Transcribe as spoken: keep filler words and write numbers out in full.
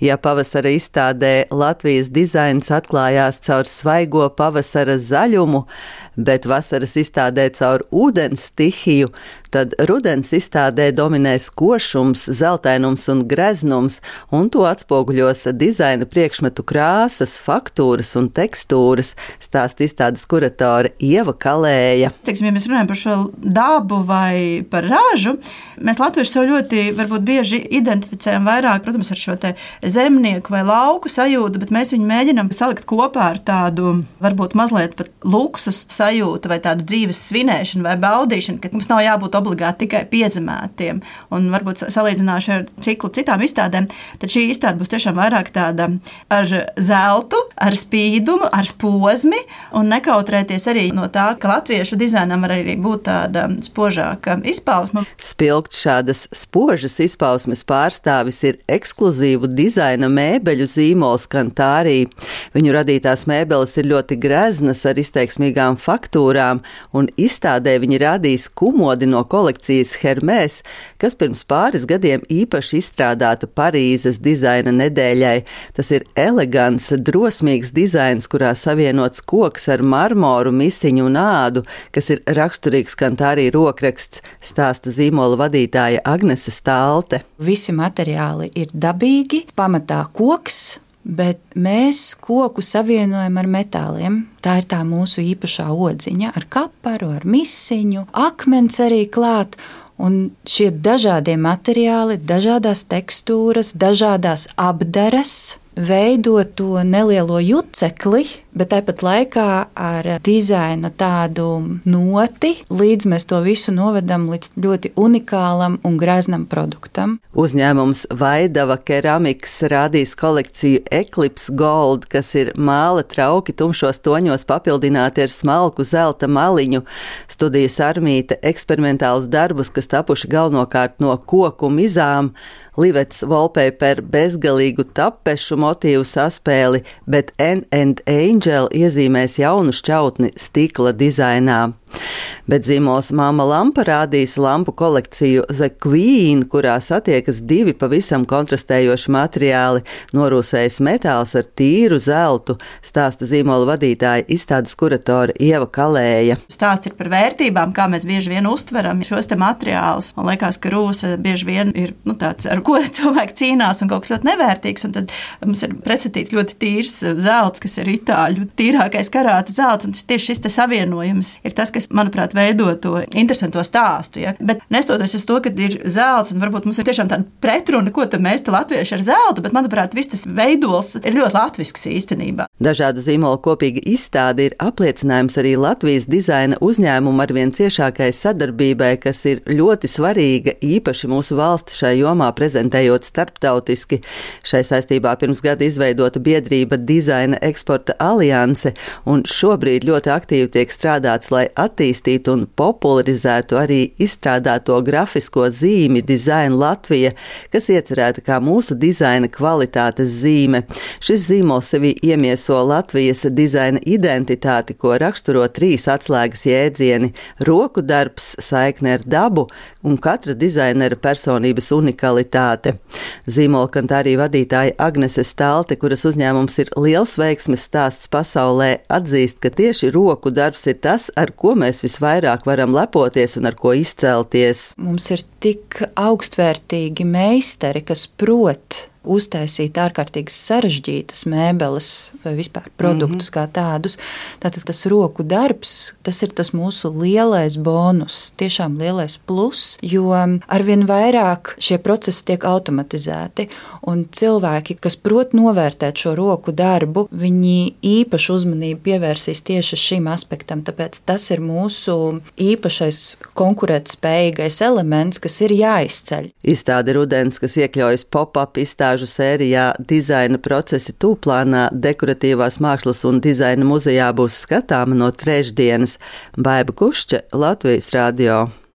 Ja pavasara izstādē Latvijas dizains atklājās caur svaigo pavasara zaļumu, bet vasaras izstādē caur ūdens stihiju, tad rudens izstādē dominēs košums, zeltainums un greznums, un to atspoguļos dizaina priekšmetu krāsas, faktūras un tekstūras, stāsta izstādes kuratore Ieva Kalēja. Teiksim, ja mēs runājam par šo dabu vai par ražu, mēs latvieši sev ļoti varbūt bieži identificējam vairāk, protams, ar šo te zemnieku vai lauku sajūtu, bet mēs viņu mēģinam salikt kopā ar tādu varbūt mazliet pat luksus sajūtu vai tādu dzīves svinēšanu vai baudīšanu, ka mums nav jābūt obligāti tikai piezemētiem. Un varbūt salīdzināšu ar ciklu citām izstādēm, tad šī izstāde būs tiešām vairāk tāda ar zeltu, ar spīdumu, ar posmi un nekautrēties arī no tā, ka latviešu dizainam var arī būt tāda spožāka izpausme. Spilgt šādas spožas izpausmes pārstāvis ir ekskluzīvu dizaina mēbeļu zīmols Kantāri. Viņu radītās mēbeles ir ļoti greznas ar izteiksmīgām faktūrām, un izstādē viņi rādīs kumodi no kolekcijas Hermès, kas pirms pāris gadiem īpaši izstrādāta Parīzes dizaina nedēļai. Tas ir elegants, drosmīgs dizains, kurā savienots koks ar marmoru, misiņu un ādu, kas ir raksturīgs Kantāri rokraksts, stāsta zīmola vadītāja Agnese Stālte. Visi materiāli ir dabīgi, pamatā koks, bet mēs koku savienojam ar metāliem. Tā ir tā mūsu īpašā odziņa ar kaparu, ar misiņu, akmens arī klāt. Un šie dažādie materiāli, dažādās tekstūras, dažādās apdares veido to nelielo jucekli, bet tāpat laikā ar dizaina tādu noti, līdz mēs to visu novedam līdz ļoti unikālam un greznam produktam. Uzņēmums Vaidava Keramiks rādīs kolekciju Eclipse Gold, kas ir māla trauki tumšos toņos papildināti ar smalku zelta maliņu. Studijas Armīte eksperimentālus darbus, kas tapuši galvenokārt no koku mizām, Livets wallpaper bezgalīgu tapešu motīvu saspēli, bet N and Angel iezīmēs jaunu šķautni stikla dizainā. Bet zīmols Māma Lampa rādīs lampu kolekciju The Queen, kurā satiekas divi pavisam kontrastējoši materiāli, norūsējis metāls ar tīru zeltu, stāsta zīmola vadītāja izstādes kuratore Ieva Kalēja. Stāsts ir par vērtībām, kā mēs bieži vien uztveram šos te materiālus. Man liekas, ka rūsa bieži vien ir nu, tāds, ar ko cilvēki cīnās un kaut kas ļoti nevērtīgs, un tad mums ir pretstatīts ļoti tīrs zelts, kas ir itāļu tīrākais karāta zelts, un tieši šis te savienojums ir tas, kas, manuprāt, veido to interesanto stāstu. Ja? Bet nestoties uz to, ka ir zelts, un varbūt mums ir tiešām tāda pretruna, ko tad mēs te latvieši ar zeltu, bet, manuprāt, viss tas veidols ir ļoti latvisks īstenībā. Dažādu zīmolu kopīga izstāde ir apliecinājums arī Latvijas dizaina uzņēmumu arvien ciešākai sadarbībai, kas ir ļoti svarīga, īpaši mūsu valsti šai jomā prezentējot starptautiski. Šai saistībā pirms gada izveidota biedrība Dizaina eksporta alianse, un šobrīd ļoti aktīvi tiek strādāts, lai attīstītu un popularizētu arī izstrādāto grafisko zīmi Dizaina Latvija, kas iecerēta kā mūsu dizaina kvalitātes zīme. Šis zīmols sevī iemieso Latvijas dizaina identitāti, ko raksturo trīs atslēgas jēdzieni – roku darbs, saikne ar dabu un katra dizainera personības unikalitāte. Zīmola Kantāri vadītāja Agnese Stālte, kuras uzņēmums ir liels veiksmes stāsts pasaulē, atzīst, ka tieši roku darbs ir tas, ar ko mēs visvairāk varam lepoties un ar ko izcelties. Mums ir tik augstvērtīgi meistari, kas prot uztaisīt ārkārtīgi sarežģītas mēbeles vai vispār produktus mm-hmm. kā tādus. Tātad tas roku darbs, tas ir tas mūsu lielais bonus, tiešām lielais plus, jo arvien vairāk šie procesi tiek automatizēti, un cilvēki, kas prot novērtēt šo roku darbu, viņi īpašu uzmanību pievērsīs tieši šim aspektam, tāpēc tas ir mūsu īpašais konkurētspējīgais elements, kas ir jāizceļ. Izstāde rudens, kas iekļaujas pop-up izstāde sērijā Dizaina procesi tūplānā Dekoratīvās mākslas un dizaina muzejā būs skatāma no trešdienas. Baiba Kušķe, Latvijas radio.